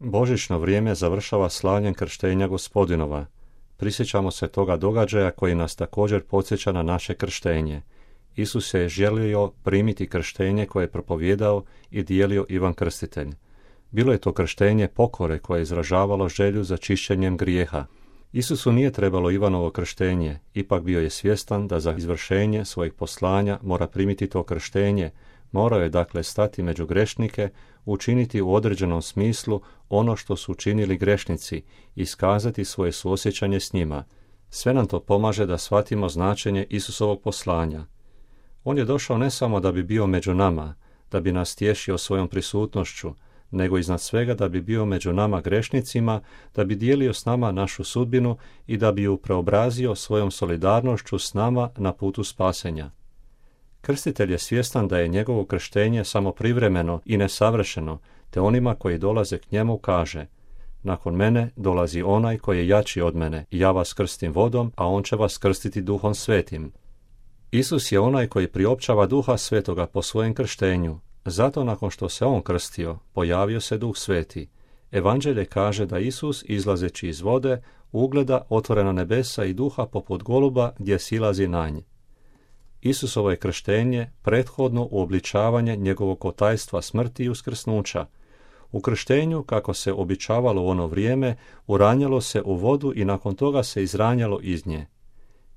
Božićno vrijeme završava slavljem krštenja Gospodinova. Prisjećamo se toga događaja koji nas također podsjeća na naše krštenje. Isus je želio primiti krštenje koje je propovijedao i dijelio Ivan Krstitelj. Bilo je to krštenje pokore koje je izražavalo želju za čišćenjem grijeha. Isusu nije trebalo Ivanovo krštenje, ipak bio je svjestan da za izvršenje svojih poslanja mora primiti to krštenje, morao je dakle stati među grešnike, učiniti u određenom smislu ono što su učinili grešnici, iskazati svoje suosjećanje s njima. Sve nam to pomaže da shvatimo značenje Isusovog poslanja. On je došao ne samo da bi bio među nama, da bi nas tješio svojom prisutnošću, nego iznad svega da bi bio među nama grešnicima, da bi dijelio s nama našu sudbinu i da bi ju preobrazio svojom solidarnošću s nama na putu spasenja. Krstitelj je svjestan da je njegovo krštenje samo privremeno i nesavršeno, te onima koji dolaze k njemu kaže: nakon mene dolazi onaj koji je jači od mene, ja vas krstim vodom, a on će vas krstiti Duhom Svetim. Isus je onaj koji priopćava Duha Svetoga po svojem krštenju. Zato nakon što se on krstio, pojavio se Duh Sveti. Evanđelje kaže da Isus, izlazeći iz vode, ugleda otvorena nebesa i duha poput goluba gdje silazi na nj. Isusovo je krštenje prethodno uobličavanje njegovog otajstva smrti i uskrsnuća. U krštenju, kako se običavalo u ono vrijeme, uranjalo se u vodu i nakon toga se izranjalo iz nje.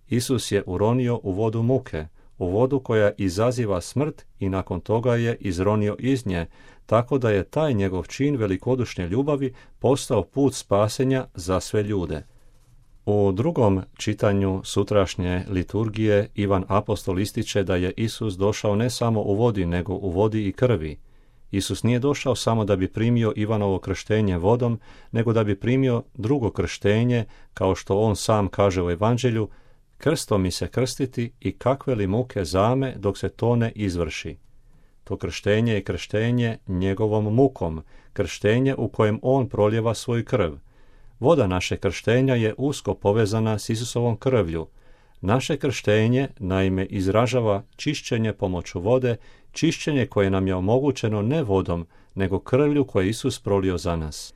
Isus je uronio u vodu muke, u vodu koja izaziva smrt i nakon toga je izronio iz nje, tako da je taj njegov čin velikodušne ljubavi postao put spasenja za sve ljude. U drugom čitanju sutrašnje liturgije Ivan Apostol ističe da je Isus došao ne samo u vodi, nego u vodi i krvi. Isus nije došao samo da bi primio Ivanovo krštenje vodom, nego da bi primio drugo krštenje, kao što on sam kaže u Evanđelju: krstom mi se krstiti i kakve li muke zame dok se to ne izvrši. To krštenje je krštenje njegovom mukom, krštenje u kojem on proljeva svoju krv. Voda naše krštenja je usko povezana s Isusovom krvlju. Naše krštenje, naime, izražava čišćenje pomoću vode, čišćenje koje nam je omogućeno ne vodom, nego krvlju koje Isus prolio za nas.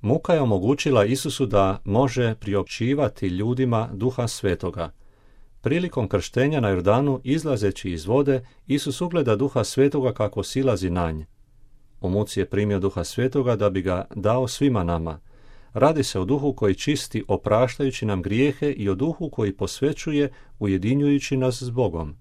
Muka je omogućila Isusu da može priopćivati ljudima Duha Svetoga. Prilikom krštenja na Jordanu, izlazeći iz vode, Isus ugleda Duha Svetoga kako silazi na nj. U muci je primio Duha Svetoga da bi ga dao svima nama. Radi se o Duhu koji čisti opraštajući nam grijehe i o Duhu koji posvećuje ujedinjujući nas s Bogom.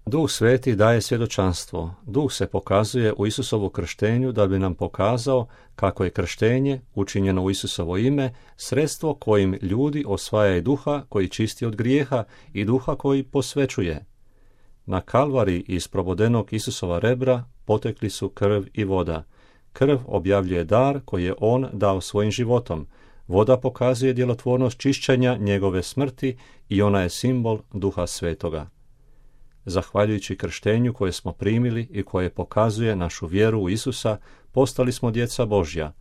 Duh Sveti daje svjedočanstvo. Duh se pokazuje u Isusovu krštenju da bi nam pokazao kako je krštenje, učinjeno u Isusovo ime, sredstvo kojim ljudi osvajaju Duha koji čisti od grijeha i Duha koji posvećuje. Na Kalvari iz probodenog Isusova rebra potekli su krv i voda. Krv objavljuje dar koji je on dao svojim životom. Voda pokazuje djelotvornost čišćenja njegove smrti i ona je simbol Duha Svetoga. Zahvaljujući krštenju koje smo primili i koje pokazuje našu vjeru u Isusa, postali smo djeca Božja.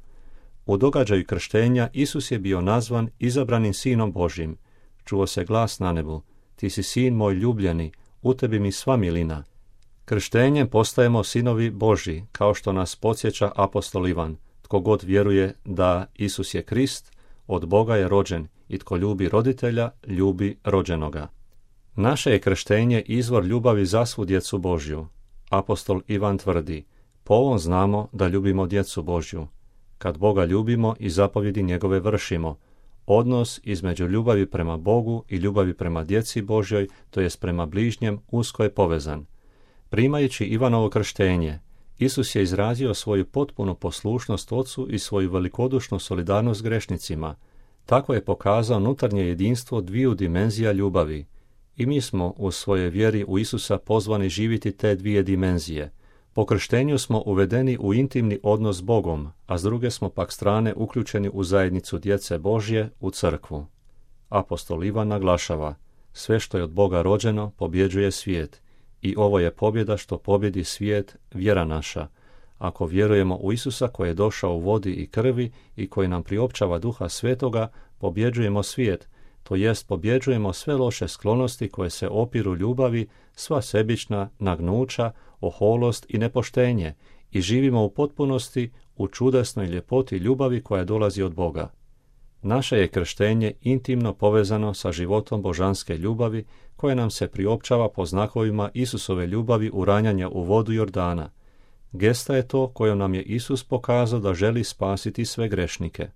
U događaju krštenja Isus je bio nazvan izabranim sinom Božjim. Čuo se glas na nebu: ti si sin moj ljubljeni, u tebi mi sva milina. Krštenjem postajemo sinovi Božji, kao što nas podsjeća apostol Ivan: tko god vjeruje da Isus je Krist, od Boga je rođen, i tko ljubi roditelja, ljubi rođenoga. Naše je krštenje izvor ljubavi za svu djecu Božju. Apostol Ivan tvrdi: po ovom znamo da ljubimo djecu Božju, kad Boga ljubimo i zapovjedi njegove vršimo. Odnos između ljubavi prema Bogu i ljubavi prema djeci Božjoj, to jest prema bližnjem, usko je povezan. Primajući Ivanovo krštenje, Isus je izrazio svoju potpunu poslušnost Ocu i svoju velikodušnu solidarnost s grešnicima. Tako je pokazao unutarnje jedinstvo dviju dimenzija ljubavi. I mi smo u svojoj vjeri u Isusa pozvani živjeti te dvije dimenzije. Po krštenju smo uvedeni u intimni odnos s Bogom, a s druge smo pak strane uključeni u zajednicu djece Božje, u crkvu. Apostol Ivan naglašava: sve što je od Boga rođeno pobjeđuje svijet. I ovo je pobjeda što pobjedi svijet, vjera naša. Ako vjerujemo u Isusa koji je došao u vodi i krvi i koji nam priopćava Duha Svetoga, pobjeđujemo svijet, to jest pobjeđujemo sve loše sklonosti koje se opiru ljubavi, sva sebična nagnuća, oholost i nepoštenje, i živimo u potpunosti u čudesnoj ljepoti ljubavi koja dolazi od Boga. Naše je krštenje intimno povezano sa životom božanske ljubavi koja nam se priopćava po znakovima Isusove ljubavi uranjanja u vodu Jordana. Gesta je to kojom nam je Isus pokazao da želi spasiti sve grešnike.